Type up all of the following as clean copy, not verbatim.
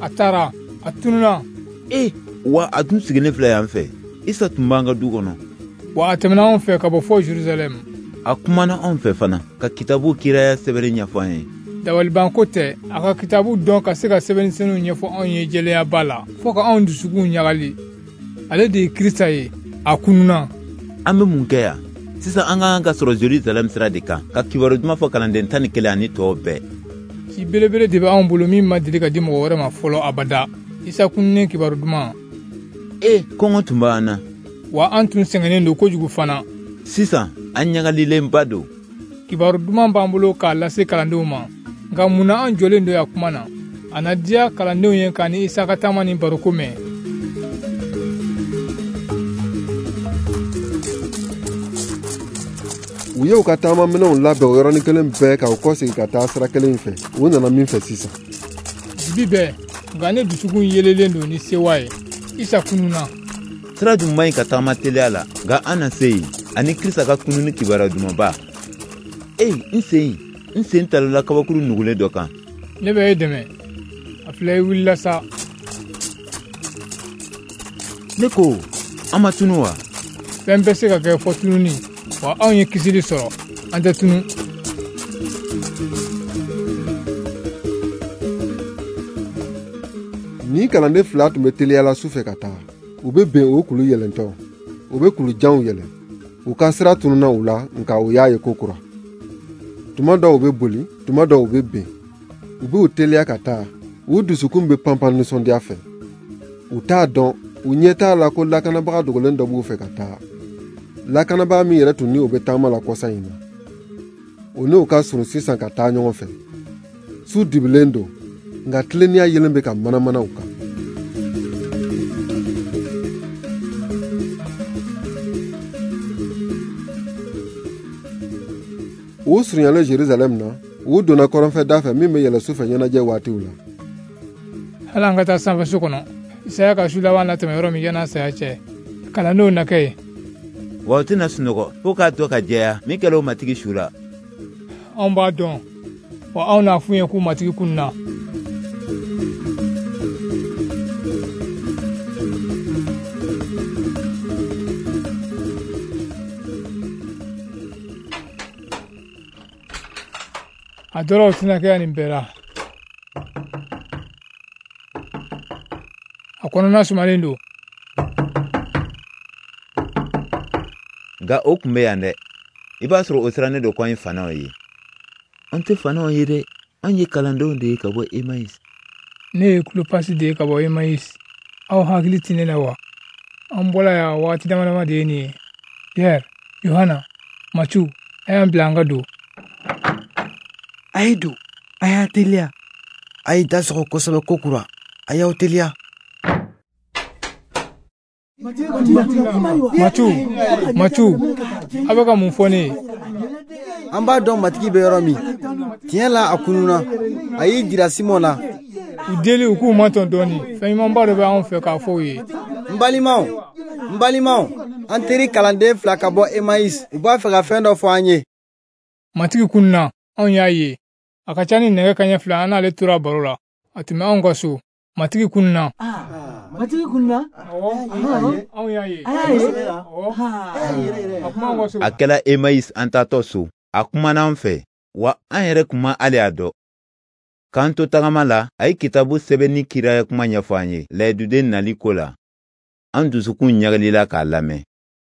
A taara, a tununna. E, wa a tun sigilen filɛ yan fɛ. Isa tun b'an ka du kɔnɔ. Wa a tɛmɛna anw fɛ ka bɔ fɔ Jerusalɛm. A kumana anw fɛ fana ka kitabu kiraya sɛbɛnni ɲɛfɔ an ye. Dabalibanko tɛ, a ka kitabu dɔn ka se ka sɛbɛnni senuw ɲɛfɔ anw ye jɛleyaba la, fɔɔ ka anw dusukunw ɲagali. Ale de ye Krista ye, a kununna. An bɛ mun kɛ yan? Sisan an ka kan ka sɔrɔ Jerusalɛm sira de kan, ka kibaru duman fɔ kalanden 11 ani tɔw bɛɛ. Ci belebele de bɛ anw bolo min ma deli ka di mɔgɔ wɛrɛ ma fɔlɔ abada. Isa kununnen kibaru duman. E, kɔngɔ tun b'an na. Wa an tun sɛgɛnnen don kojugu fana. Sisan, an ɲagalilenba don. Kibaru duman b'an bolo k'a lase kalandenw ma. Nka mun na an jɔlen don yan kuma na? A na diya kalandenw ye k'a ni Isa ka taama ni baroko mɛn. U y'u ka taamaminɛnw labɛn o yɔrɔnin kelen bɛɛ ka u kɔsegin ka taa sira kelen in fɛ. U nana min fɛ sisan. Dibi bɛɛ, nka ne dusukun yelelen don ni sewa ye. Isa kununna. Sira dun man ɲi ka taama teliya la, nka an na se yen ani Krista ka kununni kibaruya dumanba. E, n sen talala kabakuru nugulen dɔ kan. Ne bɛ e dɛmɛ. A filɛ, i wulila sa. Ne ko, an ma tunu wa? Fɛn bɛ se ka kɛ fɔ tununi. Wa anw ye kisili sɔrɔ, an tɛ tunu. Ni kalanden fila tun bɛ teliyala su fɛ ka taa. U bɛ bɛn o kulu yɛlɛntɔ. U bɛ kulu janw yɛlɛ. U ka sira tununna u la, nka u y'a ye ko kura. Tuma dɔw u bɛ boli, tuma dɔw u bɛ ben. U b'u teliya ka taa. U dusukun bɛ panpan nisɔndiya fɛ. U t'a dɔn, u ɲɛ t'a la ko lakanabaga dogolen dɔ b'u fɛ ka taa. Lakanabaa min yɛrɛ tun ni o bɛ taama la kɔsa in na, o n'o ka surun sisan ka taa ɲɔgɔn fɛ. Su dibilen don, nka tilennenya yelen bɛ ka manamana u kan. U surunyalen Jerusalɛm na, u donna kɔrɔnfɛ da fɛ min bɛ yɛlɛ su fɛ ɲɛnajɛ waatiw la. Hali an ka taa sanfɛ so kɔnɔ, Isaya ka su laban latɛmɛ yɔrɔ min yan'a saya cɛ, kalandenw na kɛ yen. Wa u tɛna sunɔgɔ fo k'a dɔn ka jɛya min kɛra o matigi su la. Anw b'a dɔn, wa anw n'a f'u ye k'u matigi kununna. A dɔ la o tɛna kɛ yan nin bɛɛ la. A kɔnɔna sumalen don. Nka o tun bɛ yan dɛ. I b'a sɔrɔ o sirannen don ko an ye fanaw ye. An tɛ fanaw ye dɛ. An ye kalandenw de ye ka bɔ Emayisi. Ne ye Kulopasi de ye ka bɔ Emayisi. Aw hakili tɛ ne la wa? An bɔla yan waati dama dama de ye nin ye. Pierre, Yohana, Matiyu, a y'an bila an ka don. A ye don, a y'a teliya. A ye da sɔgɔ kosɛbɛ kokura. A y'aw teliya. Matiyu, a bɛ ka mun fɔ ne ye? An b'a dɔn matigi bɛ yɔrɔ min. Tiɲɛ la, a kununna. A y'i jira Simɔn na. U deli u k'u matɔn dɔɔni. Fɛn ɲumanba dɔ bɛ anw fɛ k'a fɔ u ye. N balimaw, an teri kalanden fila ka bɔ Emayisi. U b'a fɛ ka fɛn dɔ fɔ an ye. Matigi kununna, anw y'a ye. A ka ca ni nɛgɛ kanɲɛ 2, an n'ale tora baro la. A tun bɛ anw ka so. Matigi kununna. Matigi kununna? Awɔ, anw y'a ye. A kuma anw ka so. A kɛla Emayisi an taatɔ so. A kumana an fɛ, wa an yɛrɛ kun ma hali a dɔn. K'an to tagama la, a ye kitabu sɛbɛnni kiraya kuma ɲɛfɔ an ye layiduden nali ko la. An dusukun ɲagalila k'a lamɛn.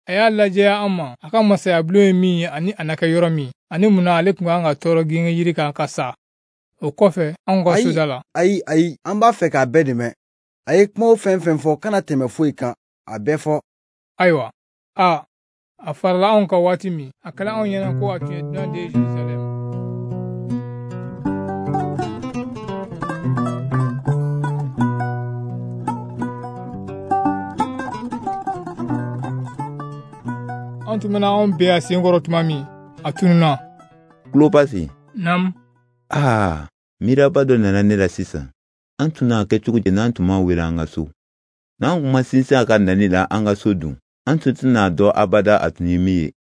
A y'a lajɛya an ma, a ka masayabulon ye min ye ani a na kɛ yɔrɔ min, ani mun na ale tun kan ka tɔɔrɔ genge yiri kan ka sa. O kɔfɛ, anw ka soda la. Ayi, an b'a fɛ k'a bɛɛ dɛmɛ. A ye kumaw fɛn fɛn fɔ, kana tɛmɛ foyi kan, a bɛɛ fɔ. Ayiwa, a farala anw kan waati min, a kɛla anw ɲɛna ko a tun ye dunan de ye Jerusalɛm. An tun bɛna anw bɛn a sen kɔrɔ tuma min, a tununna. Kulopasi. Naamu. Aa, miiraba dɔ nana ne la sisan. An tun n'a kɛ cogo di n'an tun ma wele an ka so? N'an tun ma sinsin a ka nali la an ka so dun, an tun tɛna dɔn abada a tun ye min ye.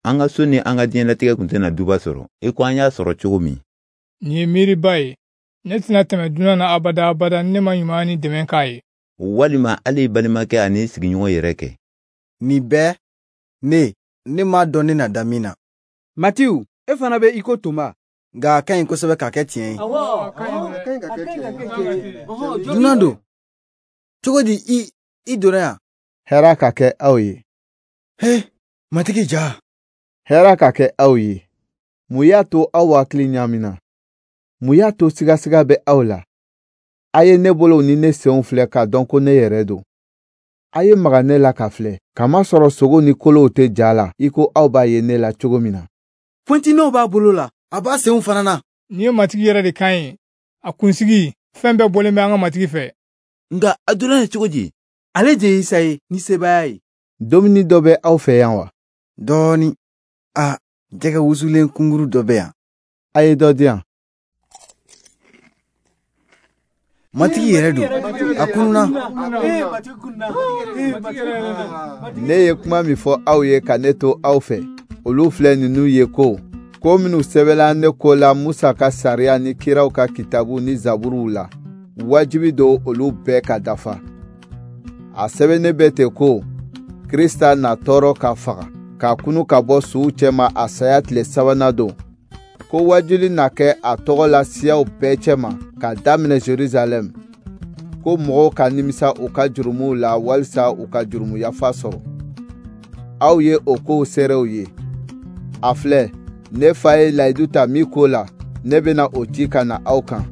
An ka so ni an ka diɲɛlatigɛ tun tɛna duba sɔrɔ, i ko an y'a sɔrɔ cogo min. Nin ye miiriba ye. Ne tɛna tɛmɛ dunan na abada abada ni ne ma ɲumanya ni dɛmɛ k'a ye. Walima hali i balimakɛ ani i sigiɲɔgɔn yɛrɛ kɛ. Nin bɛɛ, ne m'a dɔn ne na da min na. Matiw, e fana bɛ i ko Toma. Nka a ka ɲi kosɛbɛ k'a kɛ tiɲɛ ye. Awɔ, a ka ɲi ka kɛ tiɲɛ ye. Dunan don. Cogo di i donna yan? Hɛrɛ ka kɛ aw ye. He, Matigi ja. Hɛrɛ ka kɛ aw ye. Mun y'a to aw hakili ɲaamina? Mun y'a to sigasiga bɛ aw la? A ye ne bolow ni ne senw filɛ k'a dɔn ko ne yɛrɛ don. A ye maga ne la ka filɛ, kamasɔrɔ sogo ni kolow tɛ ja la i ko aw b'a ye ne la cogo min na. Pointinɔw b'a bolo la, a b'a senw fana na. Nin ye Matigi yɛrɛ de kan ye. A kunsigi, fɛn bɛɛ bɔlen bɛ an ka Matigi fɛ. Nka a donna yen cogo di? Ale de ye Isa ye ni sebaaya ye. Dumuni dɔ bɛ aw fɛ yan wa? Dɔɔnin. A, jɛgɛ wusulen kunguru dɔ bɛ yan. A ye dɔ di yan. Matigi yɛrɛ don, a kununa. Ne ye kuma min fɔ aw ye ka ne to aw fɛ, olu filɛ ninnu ye ko, ko minnu sɛbɛnna ne ko la Musa ka sariya ni kiraw ka kitabu ni zaburuw la, wajibi don olu bɛɛ ka dafa. A sɛbɛnnen bɛ ten ko, Krista na tɔɔrɔ ka faga, ka kunu ka bɔ suw cɛma a saya tile sabanan don. Ko wajuli na kɛ a tɔgɔ la siyaw bɛɛ cɛma ka daminɛ Jerusalɛm, ko mɔgɔw ka nimisa u ka jurumuw la walisa u ka jurumu yafa sɔrɔ. Aw ye o kow seerew ye. A filɛ, ne fa ye layidu ta min ko la, ne bɛna o ci ka na aw kan.